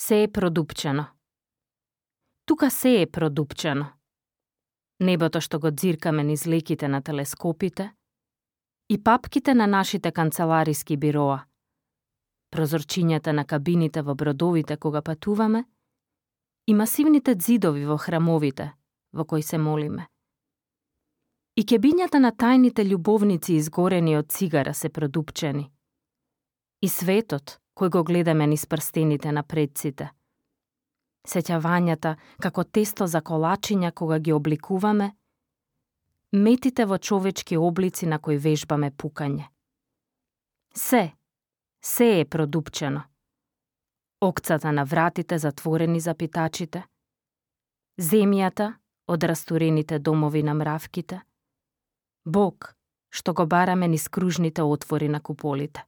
Се е продупчено. Тука се е продупчено. Небото што го дзиркаме низ леките на телескопите и папките на нашите канцелариски бироа, прозорчињата на кабините во бродовите кога патуваме и масивните ѕидови во храмовите во кои се молиме. И кебињата на тајните љубовници изгорени од цигара се продупчени. И светот кој го гледаме низ прстените на предците. Сеќавањата како тесто за колачиња кога ги обликуваме, метите во човечки облици на кои вежбаме пукање. Се е продупчено. Окцата на вратите затворени за питачите, земјата од растурените домови на мравките, Бог што го бараме низ кружните отвори на куполите.